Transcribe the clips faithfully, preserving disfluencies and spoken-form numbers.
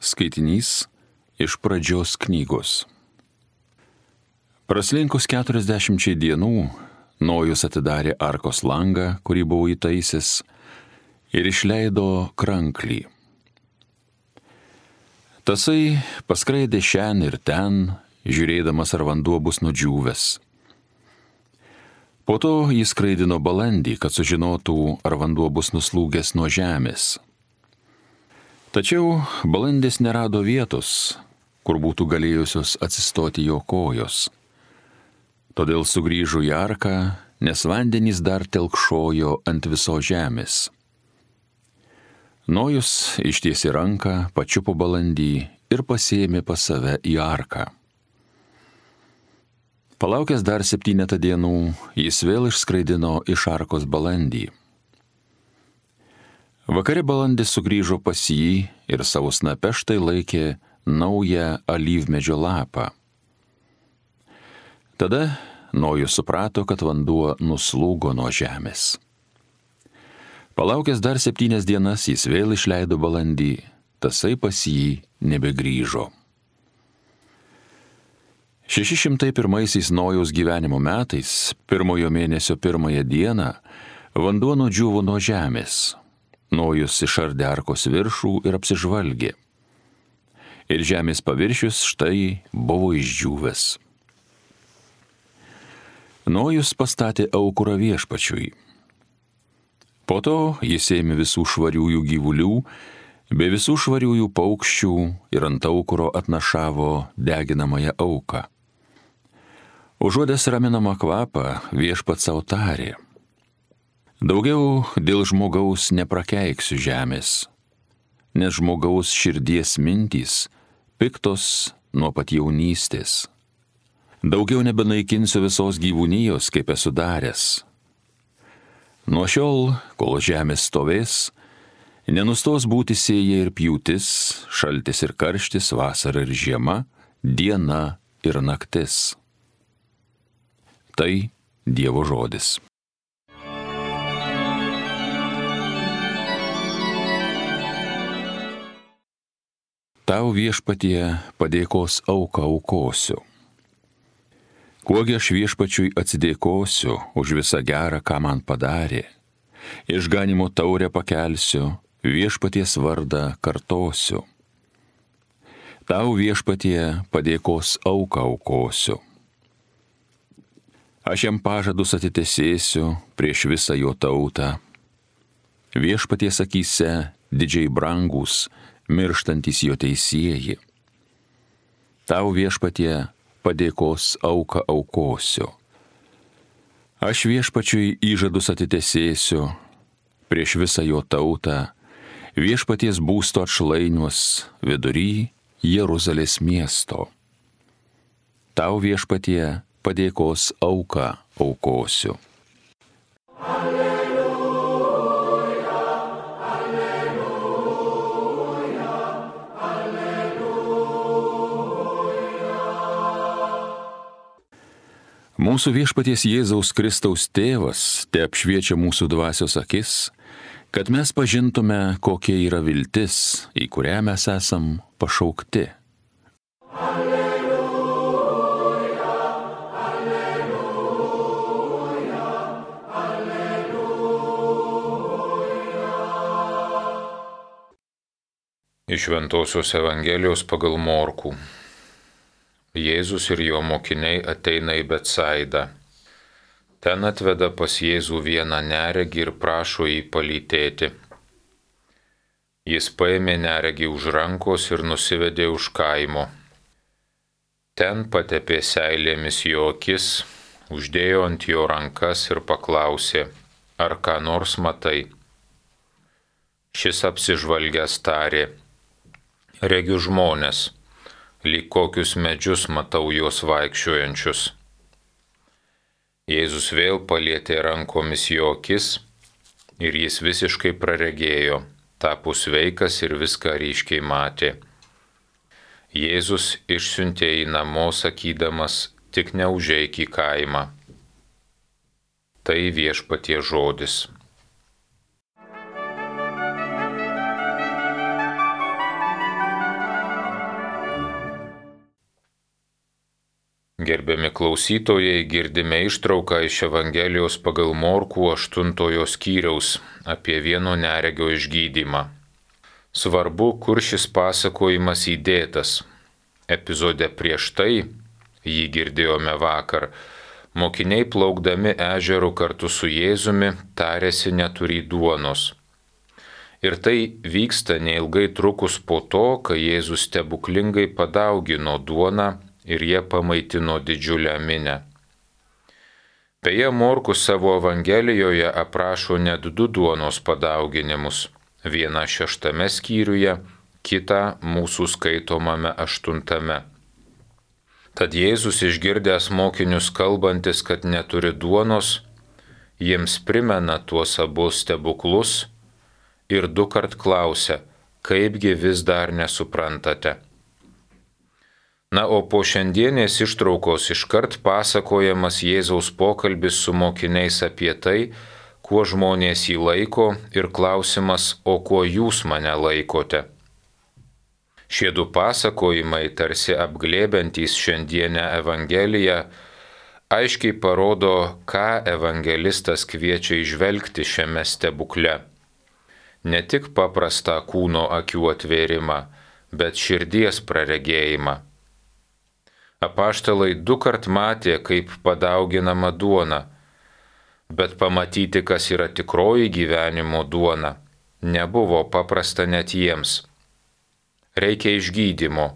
Skaitinys iš Pradžios knygos. Praslinkus keturiasdešimčiai dienų, Nojus atidarė arkos langą, kurį buvo įtaisęs, ir išleido kranklį. Tasai paskraidė šen ir ten, žiūrėdamas, ar vanduo bus nudžiūvęs. Po to jis skraidino balandį, kad sužinotų, ar vanduo bus nuslūgęs nuo žemės. Tačiau balandis nerado vietos, kur būtų galėjusios atsistoti jo kojos. Todėl sugrįžo į arką, nes vandenys dar telkšojo ant visos žemės. Nojus ištiesė ranką, pačiupo balandį ir pasiėmė pas save į arką. Palaukęs dar septynetą dienų, jis vėl išskraidino iš arkos balandį. Vakare balandis sugrįžo pas jį ir savo snape štai laikė naują alyvmedžio lapą. Tada Nojus suprato, kad vanduo nuslūgo nuo žemės. Palaukęs dar septynias dienas, jis vėl išleido balandį, tasai pas jį nebegrįžo. Šeši šimtai pirmaisiais Nojaus gyvenimo metais, pirmojo mėnesio pirmąją dieną, vanduo nudžiūvo nuo žemės. Nojus išardė arkos viršų ir apsižvalgė. Ir žemės paviršius štai buvo išdžiūvęs. Nojus pastatė aukurą viešpačiui. Po to jis ėmė visų švariųjų gyvulių, bei visų švariųjų paukščių ir ant aukuro atnašavo deginamąją auką. Užuodęs raminamą kvapą, viešpats sau tarė: Daugiau dėl žmogaus neprakeiksiu žemės, nes žmogaus širdies mintys piktos nuo pat jaunystės. Daugiau nebenaikinsiu visos gyvūnijos, kaip esu daręs. Nuo šiol, kol žemė stovės, nenustos būti sėja ir pjūtis, šaltis ir karštis, vasara ir žiema, diena ir naktis. Tai Dievo žodis. Tau viešpatie padėkos auką aukosiu. Kuogi aš viešpačiui atsidėkosiu už visą gerą, ką man padarė. Išganimo taurę pakelsiu, viešpaties vardą kartosiu. Tau viešpatie padėkos auką aukosiu. Aš jam pažadus atitesėsiu prieš visą jo tautą. Viešpaties akyse didžiai brangus, mirštantys jo teisieji. Tau viešpatie padėkos auką aukosiu. Aš viešpačiui įžadus atitesėsiu prieš visą jo tautą, viešpaties būsto atšlainiuos vidury Jeruzalės miesto. Tau viešpatie padėkos auką aukosiu. Mūsų viešpaties Jėzaus Kristaus tėvas te apšviečia mūsų dvasios akis, kad mes pažintume, kokia yra viltis, į kurią mes esam pašaukti. Alleluja, alleluja, alleluja. Iš Šventosios Evangelijos pagal Morkų. Jėzus ir jo mokiniai ateina į Betsaidą. Ten atveda pas Jėzų vieną neregį ir prašo jį palytėti. Jis paėmė neregį už rankos ir nusivedė už kaimo. Ten patepė seilėmis jo akis, uždėjo ant jo rankas ir paklausė, ar ką nors matai. Šis apsižvalgęs tarė, regiu žmones. Lyg kokius medžius matau juos vaikščiojančius. Jėzus vėl palietė rankomis jo akis ir jis visiškai praregėjo, tapo sveikas ir viską ryškiai matė. Jėzus išsiuntė į namo sakydamas, tik neužeik į kaimą. Tai viešpaties žodis. Gerbiami klausytojai, girdime ištrauką iš Evangelijos pagal Morkų aštuntojo skyriaus apie vieno neregio išgydymą. Svarbu, kur šis pasakojimas įdėtas. Epizode prieš tai, jį girdėjome vakar, mokiniai plaukdami ežeru kartu su Jėzumi tarėsi neturį duonos. Ir tai vyksta neilgai trukus po to, kai Jėzus stebuklingai padaugino duoną ir jie pamaitino didžiulę minią. Beje, Morkus savo Evangelijoje aprašo net du duonos padauginimus, vieną šeštame skyriuje, kitą mūsų skaitomame aštuntame. Tad Jėzus išgirdęs mokinius kalbantis, kad neturi duonos, jiems primena tuos abu stebuklus ir du kart klausia, kaipgi vis dar nesuprantate. Na, o po šiandienės ištraukos iškart pasakojamas Jėzaus pokalbis su mokiniais apie tai, kuo žmonės jį laiko ir klausimas, o kuo jūs mane laikote. Šie du pasakojimai, tarsi apglėbiantys šiandienę Evangeliją, aiškiai parodo, ką evangelistas kviečia įžvelgti šiame stebukle. Ne tik paprastą kūno akių atvėrimą, bet širdies praregėjimą. Apaštalai du kart matė, kaip padauginama duona, bet pamatyti, kas yra tikroji gyvenimo duona, nebuvo paprasta net jiems. Reikia išgydymo,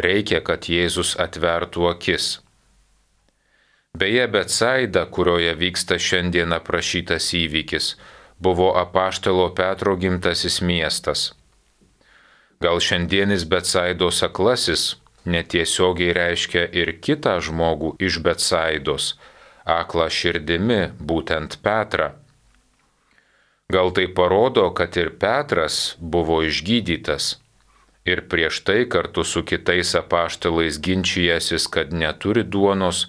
reikia, kad Jėzus atvertų akis. Beje, Betsaida, kurioje vyksta šiandien aprašytas įvykis, buvo apaštalo Petro gimtasis miestas. Gal šiandienis Betsaidos aklasis netiesiogiai reiškia ir kitą žmogų iš Betsaidos, aklą širdimi, būtent Petrą. Gal tai parodo, kad ir Petras buvo išgydytas ir prieš tai kartu su kitais apaštalais ginčijęsis, kad neturi duonos,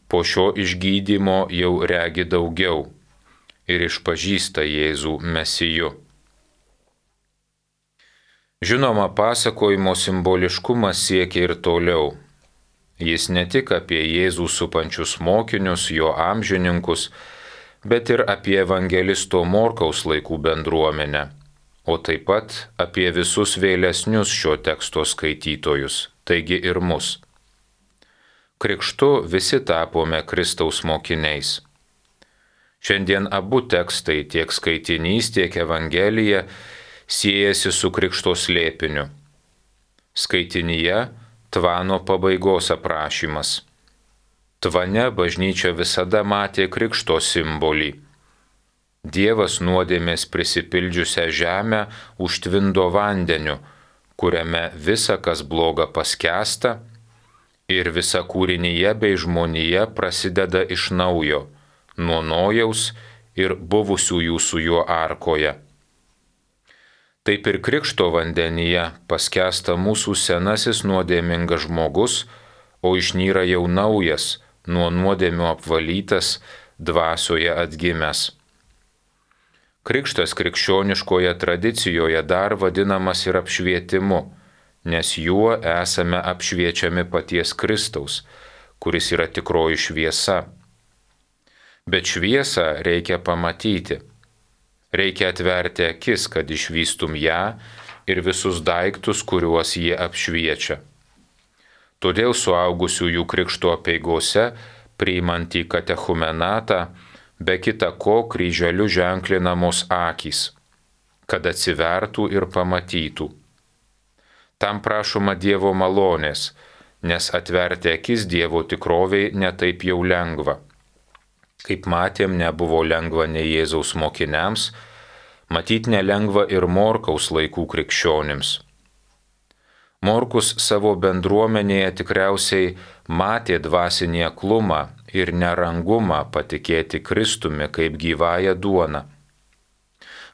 po šio išgydymo jau regi daugiau ir išpažįsta Jėzų Mesiju. Žinoma, pasakojimo simboliškumas siekia ir toliau. Jis ne tik apie Jėzų supančius mokinius, jo amžininkus, bet ir apie evangelisto Morkaus laikų bendruomenę, o taip pat apie visus vėlesnius šio teksto skaitytojus, taigi ir mus. Krikštu visi tapome Kristaus mokiniais. Šiandien abu tekstai, tiek skaitinys, tiek Evangelija, siejasi su krikšto slėpiniu. Skaitinyje tvano pabaigos aprašymas. Tvane bažnyčia visada matė krikšto simbolį. Dievas nuodėmės prisipildžiusią žemę užtvindo vandeniu, kuriame visa, kas bloga, paskęsta ir visa kūrinyje bei žmonija prasideda iš naujo, nuo Nojaus ir buvusiųjų su juo arkoje. Taip ir krikšto vandenyje paskęsta mūsų senasis nuodėmingas žmogus, o išnyra jau naujas, nuo nuodėmių apvalytas, dvasioje atgimęs. Krikštas krikščioniškoje tradicijoje dar vadinamas ir apšvietimu, nes juo esame apšviečiami paties Kristaus, kuris yra tikroji šviesa. Bet šviesą reikia pamatyti. Reikia atverti akis, kad išvystum ją ir visus daiktus, kuriuos jie apšviečia. Todėl suaugusiųjų krikšto apeigose, priimant į katechumenatą, be kita ko kryželiu ženklinamos akys, kad atsivertų ir pamatytų. Tam prašoma Dievo malonės, nes atverti akis Dievo tikroviai netaip jau lengva. Kaip matėm, nebuvo lengva nei Jėzaus mokiniams, matyt nelengva ir Morkaus laikų krikščionims. Morkus savo bendruomenėje tikriausiai matė dvasinį aklumą ir nerangumą patikėti Kristumi kaip gyvąją duoną.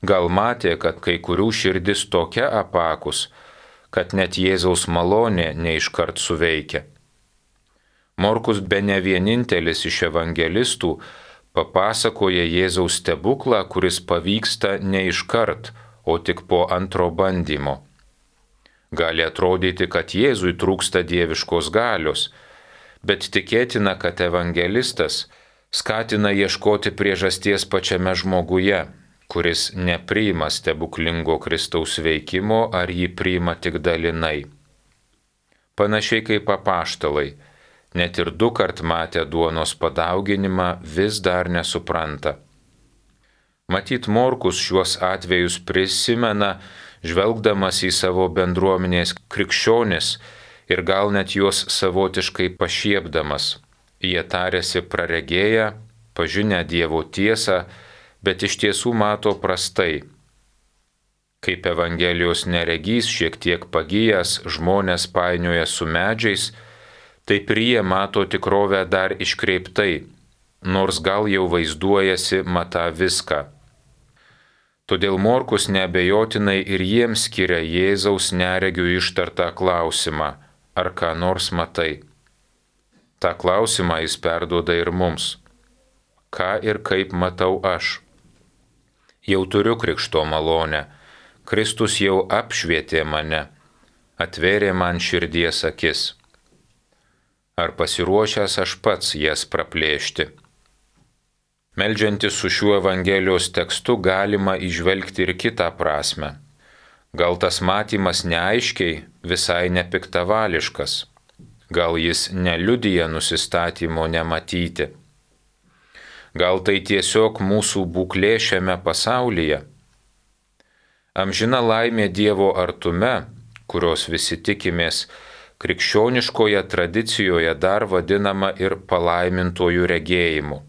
Gal matė, kad kai kurių širdis tokia apakus, kad net Jėzaus malonė neiškart suveikia. Morkus bene vienintelis iš evangelistų papasakoja Jėzaus stebuklą, kuris pavyksta ne iškart, o tik po antro bandymo. Gali atrodyti, kad Jėzui trūksta dieviškos galios, bet tikėtina, kad evangelistas skatina ieškoti priežasties pačiame žmoguje, kuris nepriima stebuklingo Kristaus veikimo ar jį priima tik dalinai. Panašiai kaip apaštalai, net ir du kart matę duonos padauginimą vis dar nesupranta. Matyt, Morkus šiuos atvejus prisimena, žvelgdamas į savo bendruomenės krikščionis ir gal net juos savotiškai pašiepdamas. Jie tarėsi praregėję, pažinę Dievo tiesą, bet iš tiesų mato prastai. Kaip Evangelijos neregys šiek tiek pagijęs žmonės painioja su medžiais, taip ir jie mato tikrovę dar iškreiptai, nors gal jau vaizduojasi matą viską. Todėl Morkus neabejotinai ir jiems skiria Jėzaus neregių ištartą klausimą, ar ką nors matai. Ta klausimą jis perduoda ir mums. Ką ir kaip matau aš? Jau turiu krikšto malonę, Kristus jau apšvietė mane, atvėrė man širdies akis. Ar pasiruošęs aš pats jas praplėšti? Meldžiantis su šiuo Evangelijos tekstu galima įžvelgti ir kitą prasme. Gal tas matymas neaiškiai, visai nepiktavališkas. Gal jis neliudija nusistatymo nematyti. Gal tai tiesiog mūsų būklė šiame pasaulyje. Amžina laimė Dievo artume, kurios visi tikimės, krikščioniškoje tradicijoje dar vadinama ir palaimintojų regėjimu.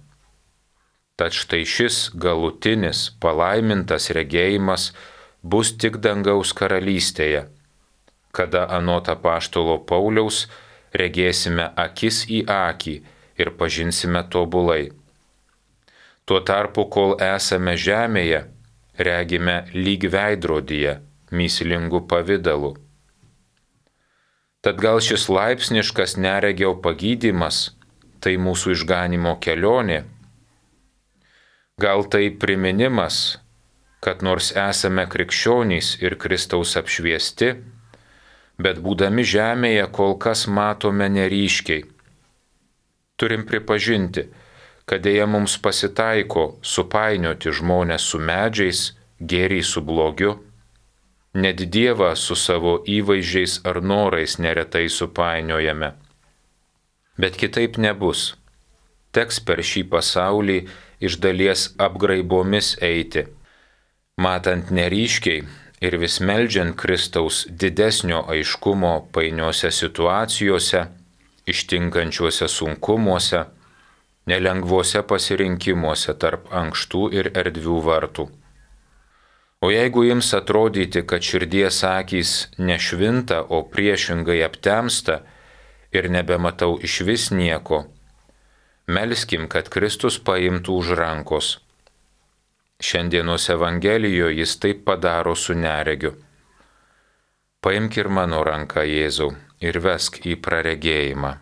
Tad štai šis galutinis palaimintas regėjimas bus tik dangaus karalystėje, kada anot apaštalo Pauliaus regėsime akis į akį ir pažinsime tobulai. Tuo tarpu, kol esame žemėje, regime lyg veidrodyje, mįslingu pavidalu. Tad gal šis laipsniškas neregio pagydymas tai mūsų išganimo kelionė? Gal tai priminimas, kad nors esame krikščionys ir Kristaus apšviesti, bet būdami žemėje kol kas matome neryškiai. Turim pripažinti, kad dėja mums pasitaiko supainioti žmonės su medžiais, gėrį su blogiu, net Dievą su savo įvaizdžiais ar norais neretai supainiojame. Bet kitaip nebus. Teks per šį pasaulį iš dalies apgraibomis eiti, matant neryškiai ir vis meldžiant Kristaus didesnio aiškumo painiose situacijose, ištinkančiuose sunkumuose, nelengvuose pasirinkimuose tarp ankštų ir erdvių vartų. O jeigu jums atrodyti, kad širdies akys nešvinta, o priešingai aptemsta ir nebematau išvis nieko, melskim, kad Kristus paimtų už rankos. Šiandienos Evangelijoje jis taip padaro su neregiu. Paimk ir mano ranką, Jėzau, ir vesk į praregėjimą.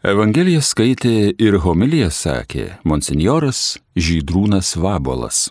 Evangeliją skaitė ir homiliją sakė monsinjoras Žydrūnas Vabuolas.